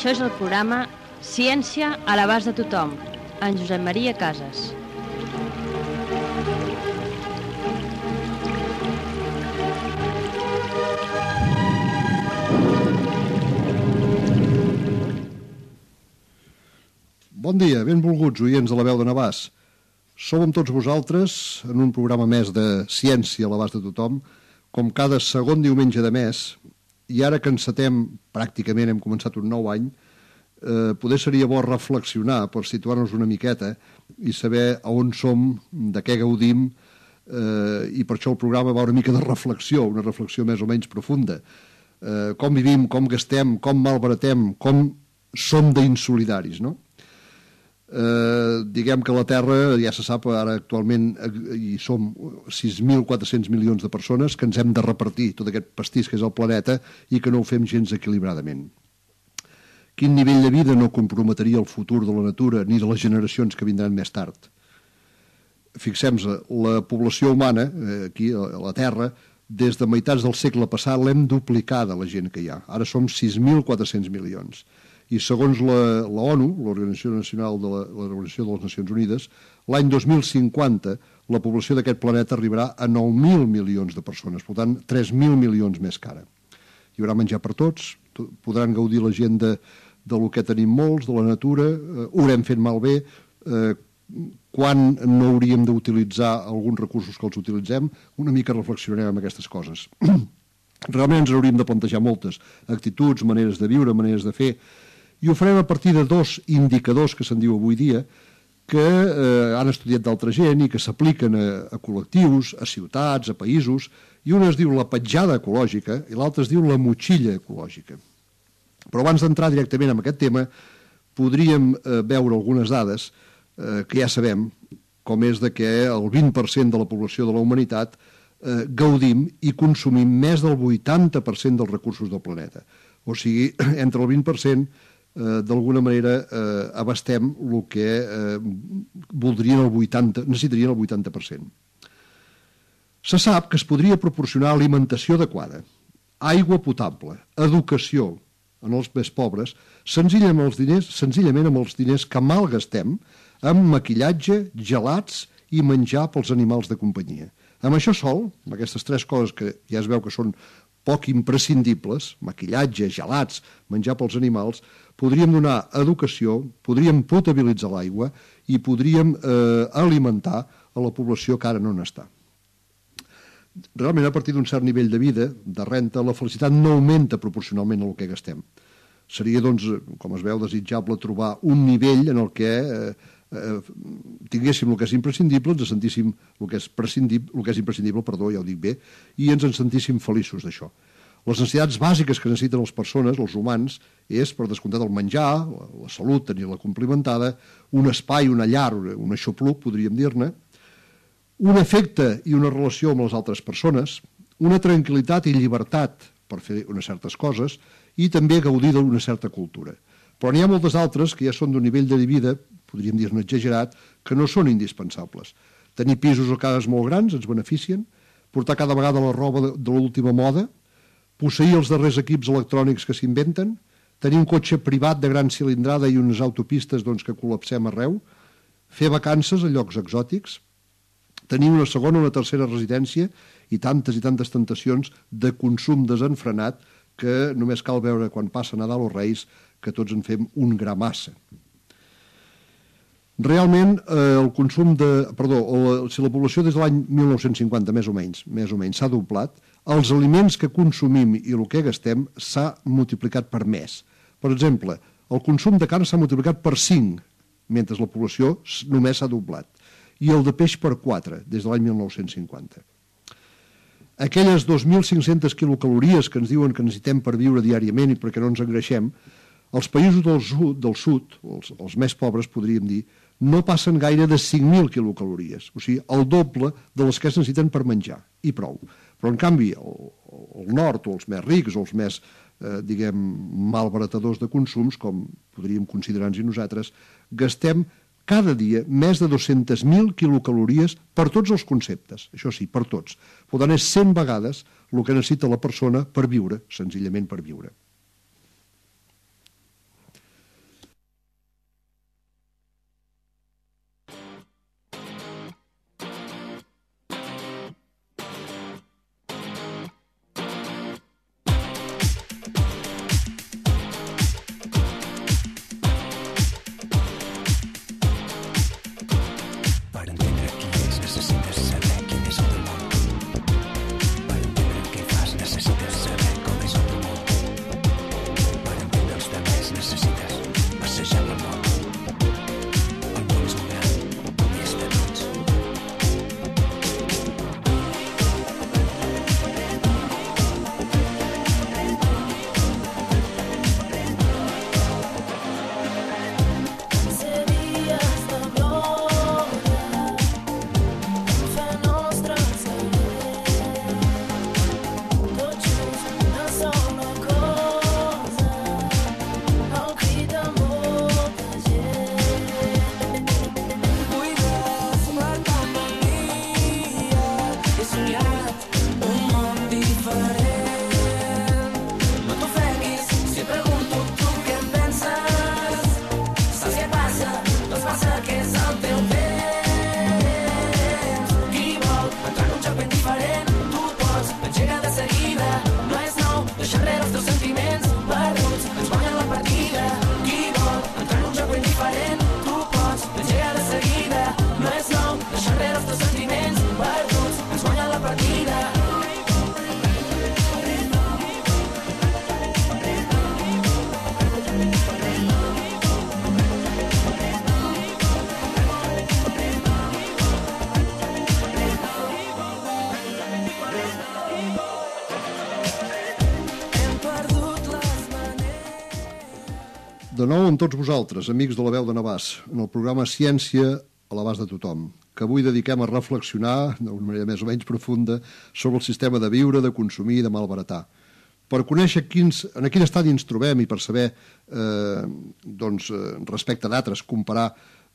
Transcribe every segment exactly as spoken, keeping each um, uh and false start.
Això és el programa Ciència a l'abast de tothom, en Josep Maria Casas. Bon dia, benvolguts oients de la veu de Navàs. Som amb tots vosaltres en un programa més de Ciència a l'abast de tothom, com cada segon diumenge de mes, i ara que encetem, pràcticament hem començat un nou any, eh, poder seria bo reflexionar per situar-nos una miqueta i saber a on som, de què gaudim, eh, i per això el programa va una mica de reflexió, una reflexió més o menys profunda. Eh, com vivim, com gastem, com malbaratem, com som d'insolidaris, no? Eh, diguem que la Terra, ja se sap, ara actualment hi som sis mil quatre-cents milions de persones que ens hem de repartir tot aquest pastís que és el planeta i que no ho fem gens equilibradament. Quin nivell de vida no comprometria el futur de la natura ni de les generacions que vindran més tard? Fixem-nos, la població humana, eh, aquí a la Terra, des de meitats del segle passat l'hem duplicada, la gent que hi ha. Ara som sis mil quatre-cents milions. I segons la, la ONU, l'Organització Nacional de la, l'Organització de les Nacions Unides, l'any dos mil cinquanta la població d'aquest planeta arribarà a nou mil milions de persones, per tant, tres mil milions més que ara. Hi haurà menjar per tots, podran gaudir la gent de, de lo que tenim molts, de la natura, eh, ho haurem fet malbé, eh, quan no hauríem d'utilitzar alguns recursos que els utilitzem, una mica reflexionarem amb aquestes coses. Realment ens hauríem de plantejar moltes actituds, maneres de viure, maneres de fer, i ho farem a partir de dos indicadors que se'n diu avui dia que eh, han estudiat d'altra gent i que s'apliquen a, a col·lectius, a ciutats, a països, i un es diu la petjada ecològica i l'altre es diu la motxilla ecològica. Però abans d'entrar directament en aquest tema, podríem eh, veure algunes dades eh, que ja sabem, com és de que el vint per cent de la població de la humanitat eh, gaudim i consumim més del vuitanta per cent dels recursos del planeta. O sigui, entre el vint per cent Eh, d'alguna manera eh, abastem el que eh, voldrien el vuitanta, necessitarien el vuitanta per cent. Se sap que es podria proporcionar alimentació adequada, aigua potable, educació en els més pobres, senzillament amb els diners, senzillament amb els diners que malgastem amb maquillatge, gelats i menjar pels animals de companyia. Amb això sol, amb aquestes tres coses que ja es veu que són poc imprescindibles, maquillatge, gelats, menjar pels animals, podríem donar educació, podríem potabilitzar l'aigua i podríem eh, alimentar a la població que ara no n'està. Realment, a partir d'un cert nivell de vida, de renta, la felicitat no augmenta proporcionalment al que gastem. Seria, doncs, com es veu, desitjable trobar un nivell en el que eh, eh, tinguéssim el que és imprescindible, ens sentíssim el que és prescindible, el que és imprescindible, perdó, ja ho dic bé, i ens en sentíssim feliços d'això. Les necessitats bàsiques que necessiten les persones, els humans, és, per descomptat, el menjar, la, la salut, tenir-la complimentada, un espai, una llar, un aixopluc, podríem dir-ne, un afecte i una relació amb les altres persones, una tranquil·litat i llibertat per fer unes certes coses i també gaudir d'una certa cultura. Però n'hi ha moltes altres que ja són d'un nivell de vida, podríem dir-ne exagerat, que no són indispensables. Tenir pisos o cases molt grans ens beneficien, portar cada vegada la roba de, de l'última moda, posseir els darrers equips electrònics que s'inventen, tenir un cotxe privat de gran cilindrada i unes autopistes doncs, que col·lapsem arreu, fer vacances a llocs exòtics, tenir una segona o una tercera residència i tantes i tantes tentacions de consum desenfrenat que només cal veure quan passa Nadal o Reis que tots en fem un gra massa. Realment, eh, el consum de... Perdó, la, si la població des de l'any mil nou-cents cinquanta, més o menys, més o menys, s'ha doblat, els aliments que consumim i el que gastem s'ha multiplicat per més. Per exemple, el consum de carn s'ha multiplicat per cinc, mentre la població només s'ha doblat, i el de peix per quatre, des de l'any mil nou-cents cinquanta. Aquelles dos mil cinc-centes quilocalories que ens diuen que necessitem per viure diàriament i perquè no ens engreixem, els països del sud, del sud els, els més pobres, podríem dir, no passen gaire de cinc mil quilocalories, o sigui, el doble de les que es necessiten per menjar, i prou. Però, en canvi, el, el nord, o els més rics, o els més, eh, diguem, malbaratadors de consums, com podríem considerar-nos i nosaltres, gastem cada dia més de dues-centes mil quilocalories per tots els conceptes, això sí, per tots. Per tant, és cent vegades el que necessita la persona per viure, senzillament per viure. De nou amb tots vosaltres, amics de la veu de Navàs, en el programa Ciència a l'abast de tothom, que avui dediquem a reflexionar, d'una manera més o menys profunda, sobre el sistema de viure, de consumir i de malbaratar. Per conèixer quins, en quin estadi ens trobem i per saber, eh, doncs, respecte d'altres, comparar,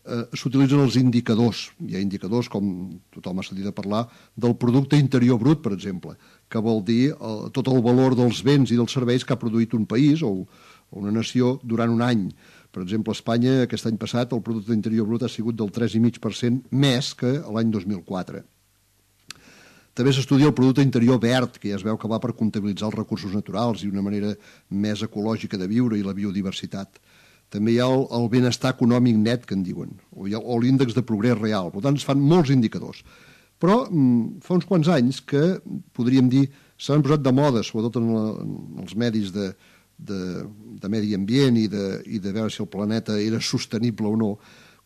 eh, s'utilitzen els indicadors. Hi ha indicadors, com tothom ha sentit a parlar, del producte interior brut, per exemple, que vol dir el, tot el valor dels béns i dels serveis que ha produït un país o una nació durant un any. Per exemple, a Espanya, aquest any passat, el producte interior brut ha sigut del tres coma cinc per cent més que l'any dos mil quatre. També s'estudia el producte interior verd, que ja es veu que va per comptabilitzar els recursos naturals i una manera més ecològica de viure i la biodiversitat. També hi ha el, el benestar econòmic net, que en diuen, o, o l'índex de progrés real. Per tant, es fan molts indicadors. Però mm, fa uns quants anys que, podríem dir, s'han posat de moda, sobretot en, la, en els medis de, de, de medi ambient i de, i de veure si el planeta era sostenible o no,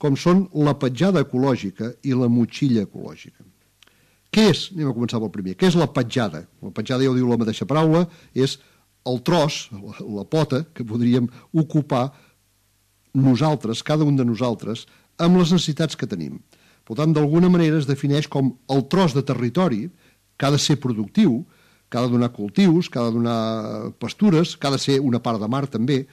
com són la petjada ecològica i la motxilla ecològica. Què és? Anem a començar pel primer. Què és la petjada? La petjada, ja ho diu la mateixa paraula, és el tros, la, la pota, que podríem ocupar nosaltres, cada un de nosaltres, amb les necessitats que tenim. Per tant, d'alguna manera es defineix com el tros de territori que ha de ser productiu, que ha de donar cultius, que ha de donar pastures, que ha de ser una part de mar també,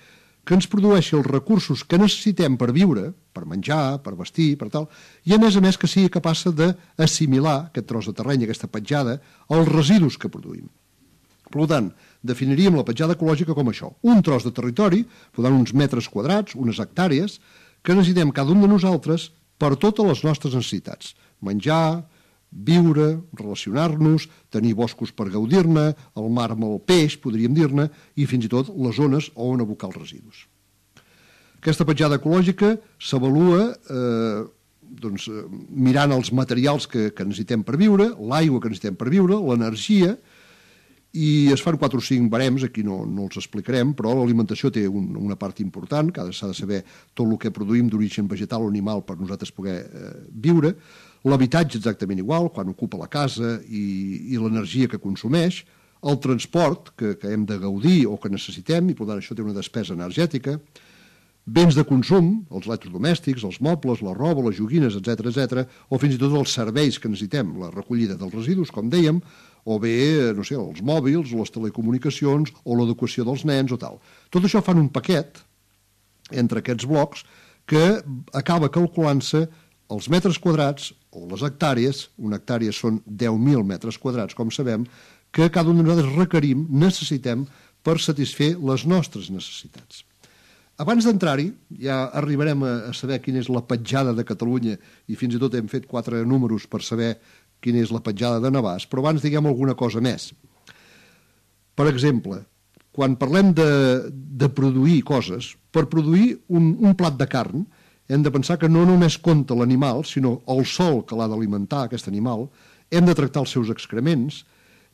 que ens produeixi els recursos que necessitem per viure, per menjar, per vestir, per tal, i a més a més que sigui capaç d'assimilar aquest tros de terreny, aquesta petjada, als residus que produïm. Per tant, definiríem la petjada ecològica com això, un tros de territori, per tant, uns metres quadrats, unes hectàrees, que necessitem cada un de nosaltres per totes les nostres necessitats. Menjar, viure, relacionar-nos, tenir boscos per gaudir-ne, el mar amb el peix, podríem dir-ne, i fins i tot les zones on abocar els residus. Aquesta petjada ecològica s'avalua eh, doncs, mirant els materials que, que necessitem per viure, l'aigua que necessitem per viure, l'energia, i es fan quatre o cinc barems, aquí no, no els explicarem, però l'alimentació té un, una part important, que s'ha de saber tot el que produïm d'origen vegetal o animal per nosaltres poder eh, viure, l'habitatge exactament igual, quan ocupa la casa i, i l'energia que consumeix, el transport que, que hem de gaudir o que necessitem, i per tant això té una despesa energètica, béns de consum, els electrodomèstics, els mobles, la roba, les joguines, etcètera, etcètera, o fins i tot els serveis que necessitem, la recollida dels residus, com dèiem, o bé, no sé, els mòbils, les telecomunicacions, o l'educació dels nens, o tal. Tot això fan un paquet entre aquests blocs que acaba calculant-se els metres quadrats o les hectàrees, una hectàrea són deu mil metres quadrats, com sabem, que cada un de nosaltres requerim, necessitem, per satisfer les nostres necessitats. Abans d'entrar-hi, ja arribarem a saber quina és la petjada de Catalunya, i fins i tot hem fet quatre números per saber quina és la petjada de Navàs, però abans diguem alguna cosa més. Per exemple, quan parlem de, de produir coses, per produir un, un plat de carn, hem de pensar que no només compta l'animal, sinó el sol que l'ha d'alimentar, aquest animal, hem de tractar els seus excrements,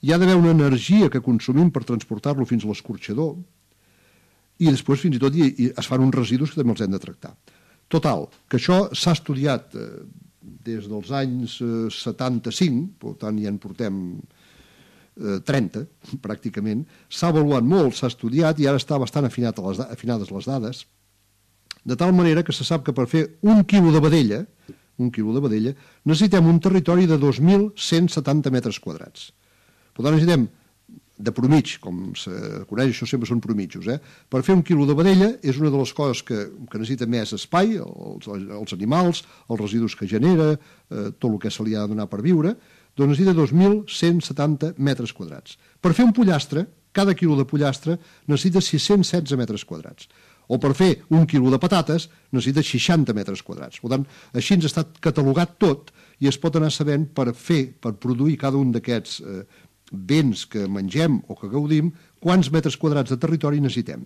hi ha d'haver una energia que consumim per transportar-lo fins a l'escorxador, i després fins i tot hi, hi es fan uns residus que també els hem de tractar. Total, que això s'ha estudiat eh, des dels anys eh, setanta-cinc, per tant ja en portem eh, trenta, pràcticament, s'ha avaluat molt, s'ha estudiat i ara està bastant afinat a les, afinades les dades, de tal manera que se sap que per fer un quilo de vedella, un quilo de vedella, necessitem un territori de dos mil cent setanta metres quadrats. Per tant, necessitem, de promig, com se coneix, això sempre són promitjos, eh? Per fer un quilo de vedella és una de les coses que, que necessita més espai, els, els animals, els residus que genera, eh, tot el que se li ha de donar per viure, doncs necessita dos mil cent setanta metres quadrats. Per fer un pollastre, cada quilo de pollastre necessita sis-cents setze metres quadrats. O per fer un quilo de patates necessita seixanta metres quadrats. Per tant, així ens està catalogat tot i es pot anar sabent per fer, per produir cada un d'aquests eh, béns que mengem o que gaudim, quants metres quadrats de territori necessitem.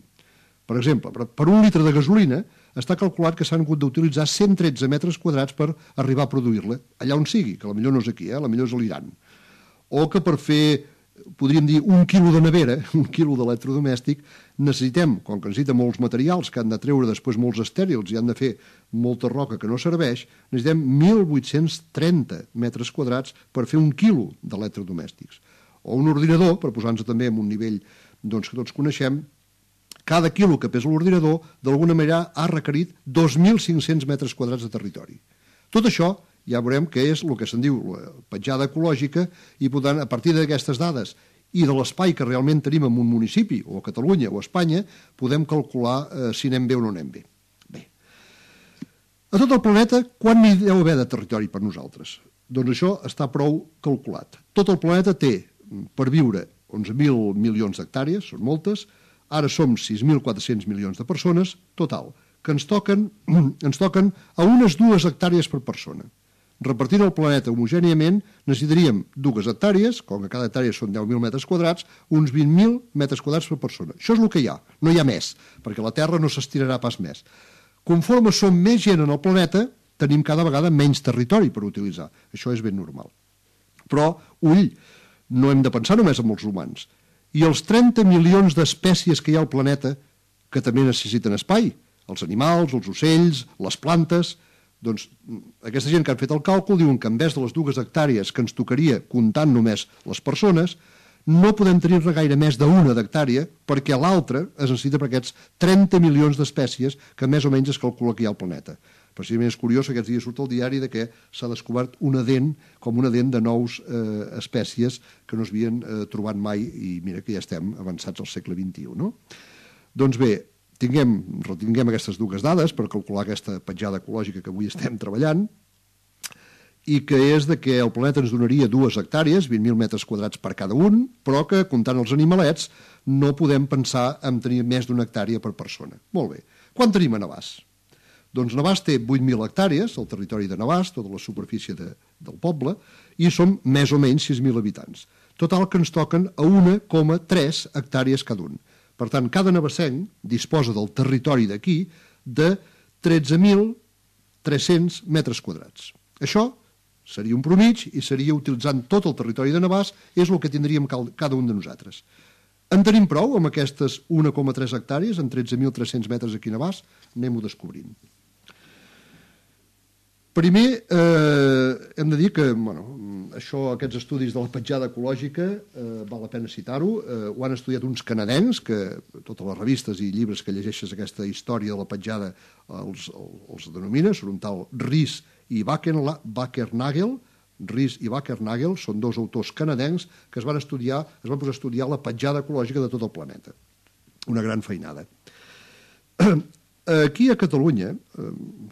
Per exemple, per un litre de gasolina està calculat que s'han hagut d'utilitzar cent tretze metres quadrats per arribar a produir-la, allà on sigui, que potser no és aquí, eh? Potser és a l'Iran. O que per fer, podríem dir, un quilo de nevera, un quilo d'electrodomèstic, necessitem, com que necessita molts materials que han de treure després molts estèrils i han de fer molta roca que no serveix, necessitem mil vuit-cents trenta metres quadrats per fer un quilo d'electrodomèstics. O un ordinador, per posar-nos també en un nivell doncs, que tots coneixem, cada quilo que pesa l'ordinador, d'alguna manera ha requerit dos mil cinc-cents metres quadrats de territori. Tot això ja veurem que és el que se'n diu la petjada ecològica i, per tant, a partir d'aquestes dades i de l'espai que realment tenim en un municipi, o a Catalunya o a Espanya, podem calcular eh, si anem bé o no anem bé. Bé. A tot el planeta, quan n'hi deu haver de territori per nosaltres? Doncs això està prou calculat. Tot el planeta té per viure onze mil milions d'hectàrees, són moltes, ara som sis mil quatre-cents milions de persones, total, que ens toquen, ens toquen a unes dues hectàrees per persona. Repartint el planeta homogèniament, necessitaríem dues hectàrees, com que cada hectàrea són deu mil metres quadrats, uns vint mil metres quadrats per persona. Això és el que hi ha, no hi ha més, perquè la Terra no s'estirarà pas més. Conforme som més gent en el planeta, tenim cada vegada menys territori per utilitzar. Això és ben normal. Però, ull, no hem de pensar només en els humans. I els trenta milions d'espècies que hi ha al planeta, que també necessiten espai, els animals, els ocells, les plantes. Doncs aquesta gent que han fet el càlcul diuen que en vez de les dues hectàrees que ens tocaria comptant només les persones, no podem tenir-ne gaire més d'una d'hectàrea perquè l'altra es necessita per aquests trenta milions d'espècies que més o menys es calcula que hi ha al planeta. Precisament és curiós que aquests dies surt al diari de que s'ha descobert una dent, com una dent de nous eh, espècies que no s'havien eh, trobat mai i mira que ja estem avançats al segle vint-i-u, no? Doncs bé, tinguem, retinguem aquestes dues dades per calcular aquesta petjada ecològica que avui estem treballant i que és de que el planeta ens donaria dues hectàrees, vint mil metres quadrats per cada un, però que, comptant els animalets, no podem pensar en tenir més d'una hectàrea per persona. Molt bé. Quan tenim a Navàs? Doncs Navàs té vuit mil hectàrees, el territori de Navàs, tota la superfície de, del poble, i som més o menys sis mil habitants. Total que ens toquen a un coma tres hectàrees cada un. Per tant, cada navassenc disposa del territori d'aquí de tretze mil tres-cents metres quadrats. Això seria un promig i seria utilitzant tot el territori de Navàs, és el que tindríem cada un de nosaltres. En tenim prou amb aquestes un coma tres hectàrees, en tretze mil tres-cents metres aquí a Navàs? Anem-ho descobrint. Primer, eh, hem de dir que bueno, això, aquests estudis de la petjada ecològica, eh, val la pena citar-ho, eh, ho han estudiat uns canadencs, que totes les revistes i llibres que llegeixes aquesta història de la petjada els, els denomina, són un tal Rhys i Wackernagel. Rhys i Wackernagel són dos autors canadencs que es van estudiar, es van posar a estudiar la petjada ecològica de tot el planeta. Una gran feinada. Aquí a Catalunya,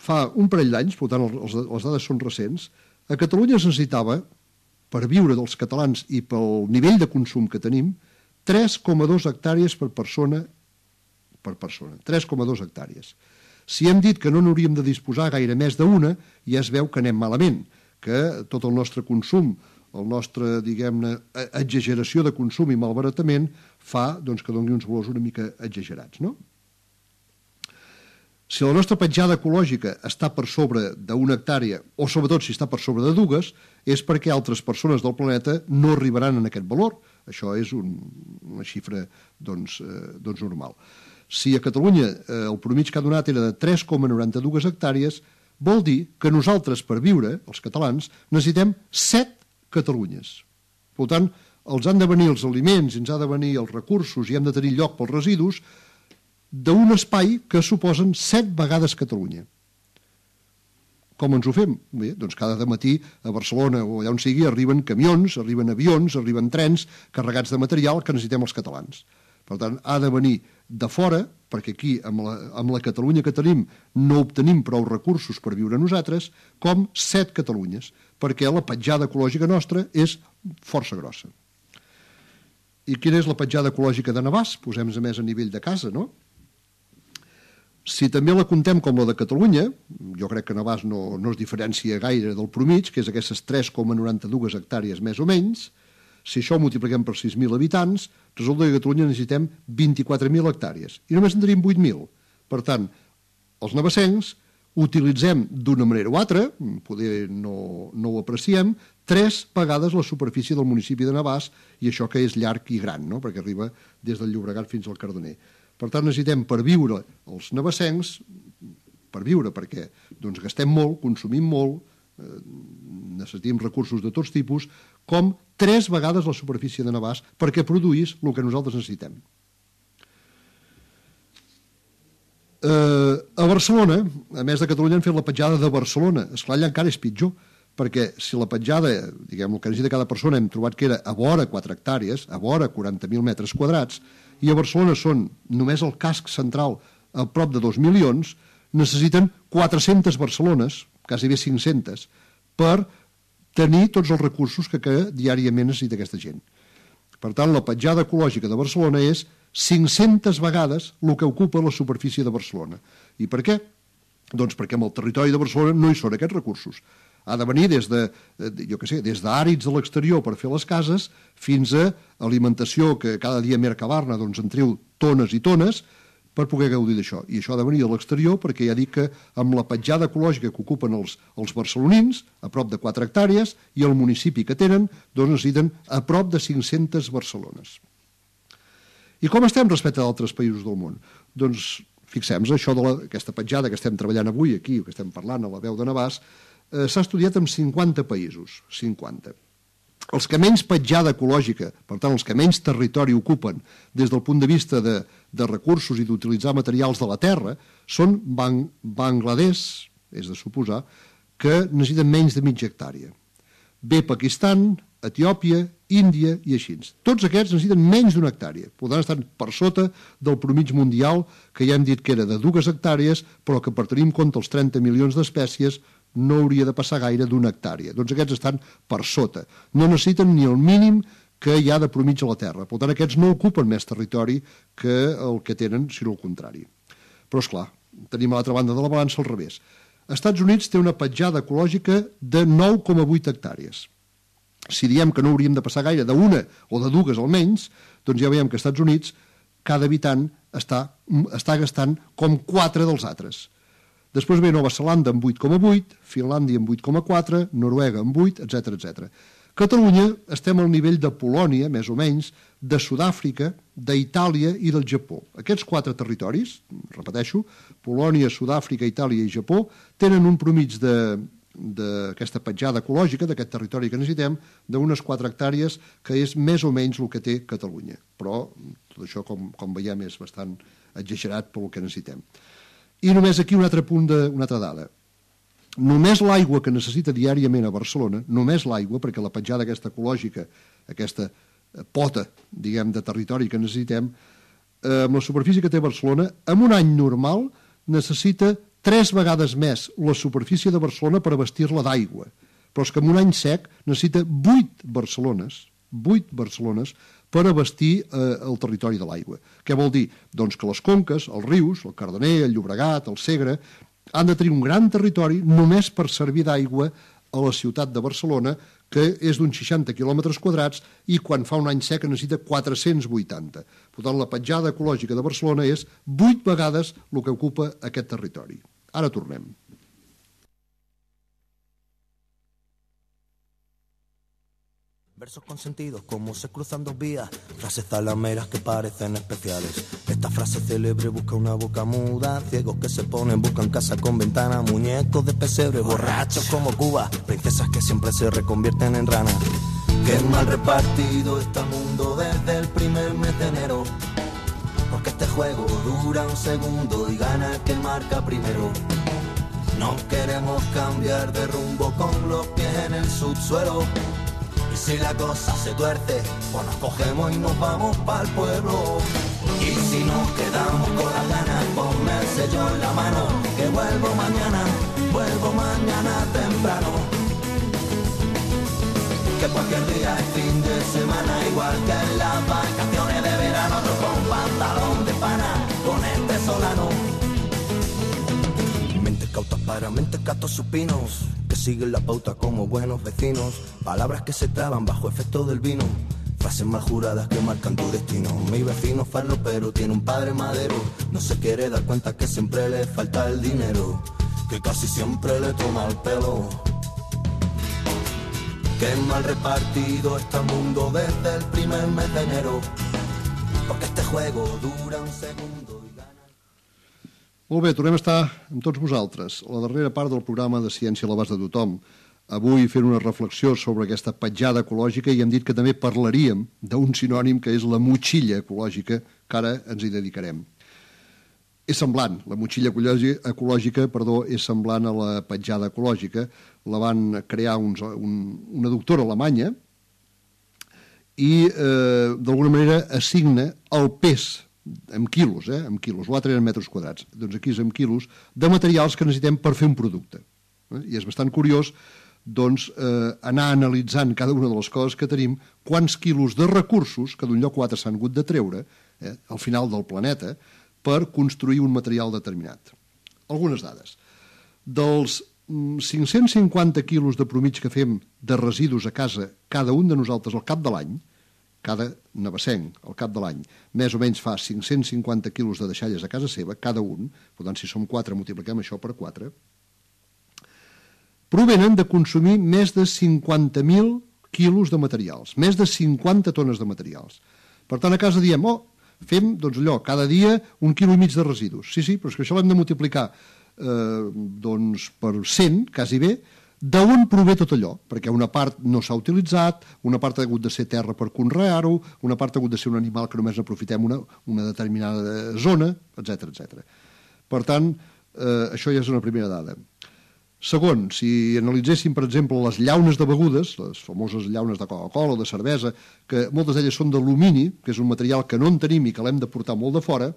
fa un parell d'anys, per tant les dades són recents, a Catalunya es necessitava, per viure dels catalans i pel nivell de consum que tenim, tres coma dos hectàrees per persona per persona. tres coma dos hectàrees. Si hem dit que no n'hauríem de disposar gaire més d'una, ja es veu que anem malament, que tot el nostre consum, el nostre, diguem-ne, exageració de consum i malbaratament fa doncs, que doni uns valors una mica exagerats, no? Si la nostra petjada ecològica està per sobre d'una hectàrea, o sobretot si està per sobre de dues, és perquè altres persones del planeta no arribaran a aquest valor. Això és un, una xifra doncs, eh, doncs normal. Si a Catalunya eh, el promig que ha donat era de tres coma noranta-dos hectàrees, vol dir que nosaltres, per viure, els catalans, necessitem set Catalunyes. Per tant, els han de venir els aliments, ens ha de venir els recursos i hem de tenir lloc pels residus d'un espai que suposen set vegades Catalunya. Com ens ho fem? Bé, doncs cada matí a Barcelona o allà on sigui arriben camions, arriben avions, arriben trens carregats de material que necessitem els catalans. Per tant, ha de venir de fora, perquè aquí, amb la, amb la Catalunya que tenim, no obtenim prou recursos per viure nosaltres, com set Catalunyes, perquè la petjada ecològica nostra és força grossa. I quina és la petjada ecològica de Navàs? Posem-nos a més a nivell de casa, no? Si també la comptem com la de Catalunya, jo crec que Navàs no, no es diferencia gaire del promig, que és aquestes tres coma noranta-dos hectàrees més o menys, si això ho multipliquem per sis mil habitants, resulta que a Catalunya necessitem vint-i-quatre mil hectàrees, i només en tenim vuit mil. Per tant, els navassencs utilitzem d'una manera o altra, poder no, no ho apreciem, tres vegades la superfície del municipi de Navàs, i això que és llarg i gran, no? Perquè arriba des del Llobregat fins al Cardener. Per tant, necessitem per viure els navassencs, per viure perquè doncs, gastem molt, consumim molt, eh, necessitem recursos de tots tipus, com tres vegades la superfície de Navàs perquè produís el que nosaltres necessitem. Eh, a Barcelona, a més de Catalunya, han fet la petjada de Barcelona. Esclar, allà encara és pitjor, perquè si la petjada, diguem, el que necessita cada persona, hem trobat que era a vora quatre hectàrees, a vora quaranta mil metres quadrats, i a Barcelona són només el casc central a prop de dos milions, necessiten quatre-centes Barcelones, quasi bé cinc-centes, per tenir tots els recursos que, que diàriament necessita aquesta gent. Per tant, la petjada ecològica de Barcelona és cinc-centes vegades el que ocupa la superfície de Barcelona. I per què? Doncs perquè en el territori de Barcelona no hi són aquests recursos. Ha de venir des de, jo què sé, des d'àrids a l'exterior per fer les cases fins a alimentació que cada dia Mercabarna doncs, en treu tones i tones per poder gaudir d'això. I això ha de venir a l'exterior perquè ja dic que amb la petjada ecològica que ocupen els, els barcelonins, a prop de quatre hectàrees, i el municipi que tenen, doncs necessiten a prop de cinc-centes Barcelones. I com estem respecte a d'altres països del món? Doncs fixem-nos, això d'aquesta petjada que estem treballant avui aquí, que estem parlant a la veu de Navàs, eh, s'ha estudiat en cinquanta països, cinquanta. Els que menys petjada ecològica, per tant, els que menys territori ocupen des del punt de vista de, de recursos i d'utilitzar materials de la terra, són Bang Bangladesh, és de suposar, que necessiten menys de mitja hectàrea. Ve Pakistan, Etiòpia, Índia i així. Tots aquests necessiten menys d'una hectàrea. Podran estar per sota del promig mundial, que ja hem dit que era de dues hectàrees, però que per tenir en compte els trenta milions d'espècies no hauria de passar gaire d'una hectàrea. Doncs aquests estan per sota. No necessiten ni el mínim que hi ha de promig a la Terra. Per tant, aquests no ocupen més territori que el que tenen, sinó el contrari. Però, esclar, tenim a l'altra banda de la balança al revés. Estats Units té una petjada ecològica de nou coma vuit hectàrees. Si diem que no hauríem de passar gaire d'una o de dues almenys, doncs ja veiem que als Estats Units cada habitant està, està gastant com quatre dels altres. Després ve Nova Zelanda amb vuit coma vuit, Finlàndia amb vuit coma quatre, Noruega amb vuit, etcètera etcètera. Catalunya estem al nivell de Polònia, més o menys, de Sud-àfrica, d'Itàlia i del Japó. Aquests quatre territoris, repeteixo, Polònia, Sud-àfrica, Itàlia i Japó, tenen un promig de d'aquesta petjada ecològica, d'aquest territori que necessitem, d'unes quatre hectàrees, que és més o menys el que té Catalunya. Però tot això, com, com veiem, és bastant exagerat pel que necessitem. I només aquí un altre punt, de, una altra dada. Només l'aigua que necessita diàriament a Barcelona, només l'aigua, perquè la petjada aquesta ecològica, aquesta pota, diguem, de territori que necessitem, eh, amb la superfície que té Barcelona, en un any normal necessita tres vegades més la superfície de Barcelona per abastir-la d'aigua. Però és que en un any sec necessita vuit Barcelones, vuit Barcelones per abastir eh, el territori de l'aigua. Què vol dir? Doncs que les conques, els rius, el Cardener, el Llobregat, el Segre, han de tenir un gran territori només per servir d'aigua a la ciutat de Barcelona, que és d'uns seixanta quilòmetres quadrats i quan fa un any sec necessita quatre-cents vuitanta. Per tant, la petjada ecològica de Barcelona és vuit vegades el que ocupa aquest territori. Ara tornem. Versos con sentido, como se cruzan dos vías, frases zalameras que parecen especiales. Esta frase célebre busca una boca muda, ciegos que se ponen, buscan casa con ventana, muñecos de pesebre, borrachos como Cuba, princesas que siempre se reconvierten en ranas. Qué mal repartido está el mundo desde el primer mes de enero, porque este juego dura un segundo y gana el que marca primero. No queremos cambiar de rumbo con los pies en el subsuelo. Y si la cosa se tuerce, pues nos cogemos y nos vamos pa'l pueblo. Y si nos quedamos con las ganas, ponme el sello en la mano, que vuelvo mañana, vuelvo mañana temprano. Que cualquier día es fin de semana, igual que en las vacaciones de verano, otro con pantalón de pana, con este solano. Mentes cautas para mentes gatos supinos, que siguen la pauta como buenos vecinos. Palabras que se traban bajo efecto del vino, frases mal juradas que marcan tu destino. Mi vecino farlo pero tiene un padre madero, no se quiere dar cuenta que siempre le falta el dinero, que casi siempre le toma el pelo. Qué mal repartido está el mundo desde el primer mes de enero, porque este juego dura un segundo y gana... Molt bé, tornem a estar amb tots vosaltres. A la darrera part del programa de Ciència a l'abast de tothom. Avui fent una reflexió sobre aquesta petjada ecològica i hem dit que també parlaríem d'un sinònim que és la motxilla ecològica, que ara ens hi dedicarem. és semblant, la motxilla ecològica, perdó, és semblant a la petjada ecològica. La van crear uns, un, una doctora alemanya i eh, d'alguna manera assigna el pes en quilos, eh, en quilos, l'altre eren metres quadrats, doncs aquí és en quilos, de materials que necessitem per fer un producte. Eh? I és bastant curiós doncs, eh, anar analitzant cada una de les coses que tenim, quants quilos de recursos que d'un lloc o altre s'han hagut de treure eh, al final del planeta per construir un material determinat. Algunes dades. Dels cinc-cents cinquanta quilos de promig que fem de residus a casa, cada un de nosaltres al cap de l'any, cada navassenc al cap de l'any, més o menys fa cinc-cents cinquanta quilos de deixalles a casa seva, cada un, per tant, si som quatre, multipliquem això per quatre, provenen de consumir més de cinquanta mil quilos de materials, més de cinquanta tones de materials. Per tant, a casa diem, oh, fem, doncs allò, cada dia un quilo i mig de residus. Sí, sí, però és que això l'hem de multiplicar eh, doncs per cent, quasi bé, d'on prové tot allò? Perquè una part no s'ha utilitzat, una part ha hagut de ser terra per conrear-ho, una part ha hagut de ser un animal que només aprofitem una, una determinada zona, etcètera, etcètera. Per tant, eh, això ja és una primera dada. Segon, si analitzéssim, per exemple, les llaunes de begudes, les famoses llaunes de Coca-Cola o de cervesa, que moltes d'elles són d'alumini, que és un material que no en tenim i que l'hem de portar molt de fora,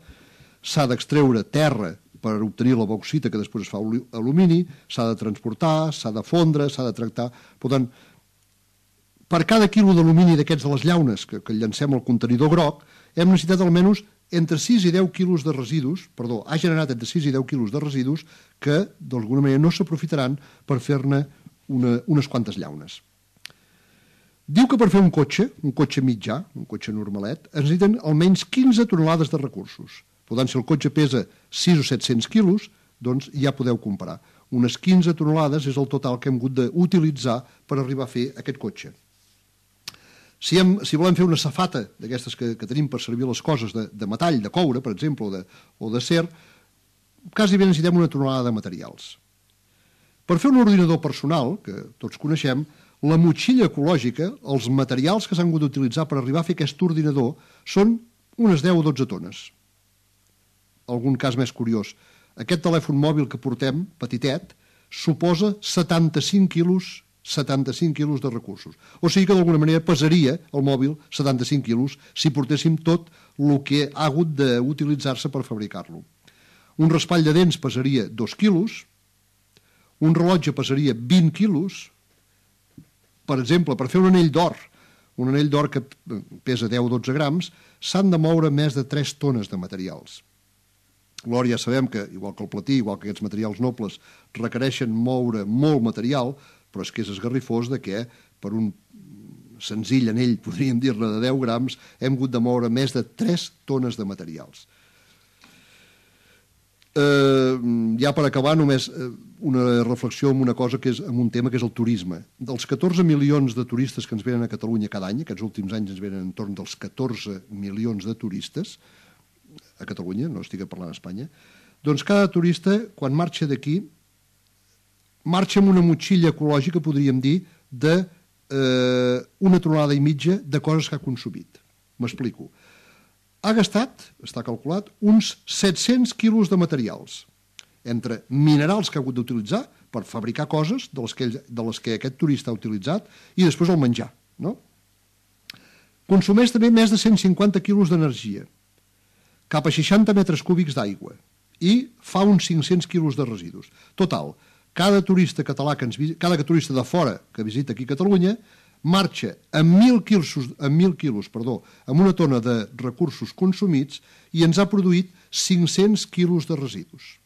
s'ha d'extreure terra per obtenir la bauxita que després es fa alumini, s'ha de transportar, s'ha de fondre, s'ha de tractar. Per tant, per cada quilo d'alumini d'aquests de les llaunes que, que llancem al contenidor groc, hem necessitat almenys entre sis i deu quilos de residus, perdó, ha generat entre sis i deu quilos de residus que, d'alguna manera, no s'aprofitaran per fer-ne una, unes quantes llaunes. Diu que per fer un cotxe, un cotxe mitjà, un cotxe normalet, es necessiten almenys quinze tonelades de recursos. Per tant, si el cotxe pesa sis o set-cents quilos, doncs ja podeu comparar. Unes quinze tonelades és el total que hem hagut d'utilitzar per arribar a fer aquest cotxe. Si, hem, si volem fer una safata d'aquestes que, que tenim per servir les coses de, de metall, de coure, per exemple, o de, o de ser, quasi bé necessitem una tonelada de materials. Per fer un ordinador personal, que tots coneixem, la motxilla ecològica, els materials que s'han hagut d'utilitzar per arribar a fer aquest ordinador són unes deu o dotze tones. Algun cas més curiós. Aquest telèfon mòbil que portem, petitet, suposa setanta-cinc quilos setanta-cinc quilos de recursos. O sigui que d'alguna manera pesaria el mòbil setanta-cinc quilos si portéssim tot el que ha hagut d'utilitzar-se per fabricar-lo. Un raspall de dents pesaria dos quilos, un rellotge pesaria vint quilos, per exemple, per fer un anell d'or, un anell d'or que pesa deu o dotze grams, s'han de moure més de tres tones de materials. L'or ja sabem que, igual que el platí, igual que aquests materials nobles, requereixen moure molt material, però és que és esgarrifós de que per un senzill anell, podríem dir-ne, de deu grams, hem hagut de moure més de tres tones de materials. Eh, ja per acabar, només una reflexió en una cosa que és en un tema que és el turisme. Dels catorze milions de turistes que ens venen a Catalunya cada any, aquests últims anys ens venen entorn dels catorze milions de turistes a Catalunya, no estic parlant d'Espanya, doncs cada turista, quan marxa d'aquí, marxa amb una motxilla ecològica, podríem dir, de eh, una tonelada i mitja de coses que ha consumit. M'explico. Ha gastat, està calculat, uns set-cents quilos de materials, entre minerals que ha hagut d'utilitzar per fabricar coses de les que, ell, de les que aquest turista ha utilitzat i després el menjar. No? Consumeix també més de cent cinquanta quilos d'energia, cap a seixanta metres cúbics d'aigua i fa uns cinc-cents quilos de residus. Total, cada turista català, que ens, cada turista de fora que visita aquí a Catalunya, marxa amb mil quilos, amb mil quilos, perdó, amb una tona de recursos consumits i ens ha produït cinc-cents quilos de residus.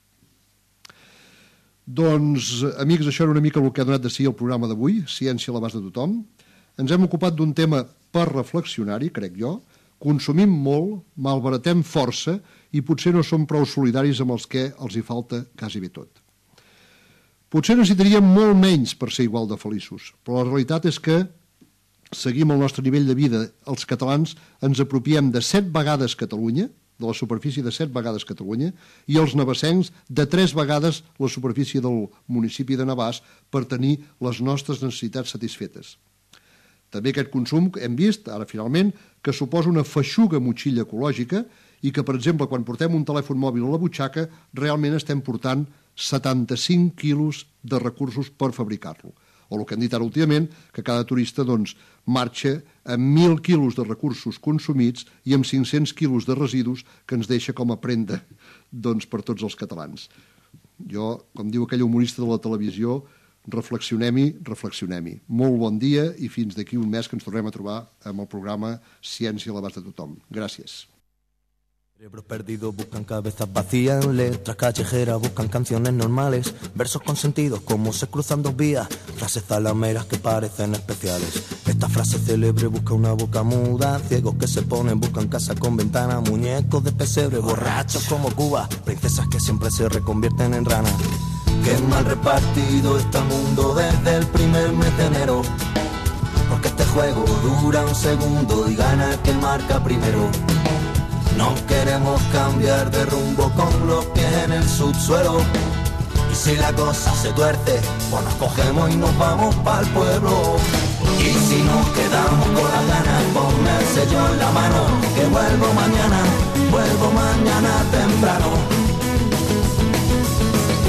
Doncs, amics, això era una mica el que ha donat de si el programa d'avui, Ciència a l'abast de tothom. Ens hem ocupat d'un tema per reflexionar-hi, crec jo. Consumim molt, malbaratem força i potser no som prou solidaris amb els que els hi falta quasi bé tot. Potser necessitaríem molt menys per ser igual de feliços, però la realitat és que seguim el nostre nivell de vida. Els catalans ens apropiem de set vegades Catalunya, de la superfície de set vegades Catalunya, i els navassencs de tres vegades la superfície del municipi de Navàs per tenir les nostres necessitats satisfetes. També aquest consum hem vist, ara finalment, que suposa una feixuga motxilla ecològica i que, per exemple, quan portem un telèfon mòbil a la butxaca, realment estem portant setanta-cinc quilos de recursos per fabricar-lo. O el que hem dit ara últimament, que cada turista doncs, marxa amb mil quilos de recursos consumits i amb cinc-cents quilos de residus que ens deixa com a prenda doncs, per tots els catalans. Jo, com diu aquell humorista de la televisió, reflexionem-hi, reflexionem-hi. Molt bon dia i fins d'aquí un mes que ens tornem a trobar amb el programa Ciència a l'abast de tothom. Gràcies. Cerebros perdidos buscan cabezas vacías, letras callejeras buscan canciones normales, versos con sentidos como se cruzan dos vías, frases zalameras que parecen especiales. Esta frase célebre busca una boca muda, ciegos que se ponen buscan casa con ventana, muñecos de pesebre, borrachos como Cuba, princesas que siempre se reconvierten en ranas. Qué mal repartido está el mundo desde el primer mes de enero, porque este juego dura un segundo y gana el que marca primero. No queremos cambiar de rumbo con los pies en el subsuelo. Y si la cosa se tuerce, pues nos cogemos y nos vamos pa'l pueblo. Y si nos quedamos con las ganas, ponme el sello en la mano, que vuelvo mañana, vuelvo mañana temprano.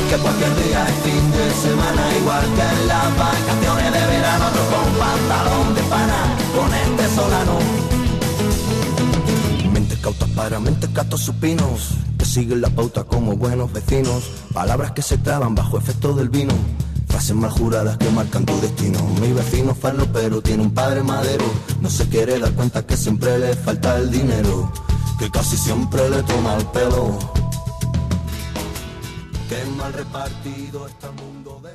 Que cualquier día es fin de semana, igual que en las vacaciones de verano, otro con pantalón de pana, con este solano. Cautas para mentes gatos supinos, que siguen la pauta como buenos vecinos. Palabras que se clavan bajo efecto del vino, frases mal juradas que marcan tu destino. Mi vecino farlo pero tiene un padre madero, no se quiere dar cuenta que siempre le falta el dinero, que casi siempre le toma el pelo. Qué mal repartido está el mundo de...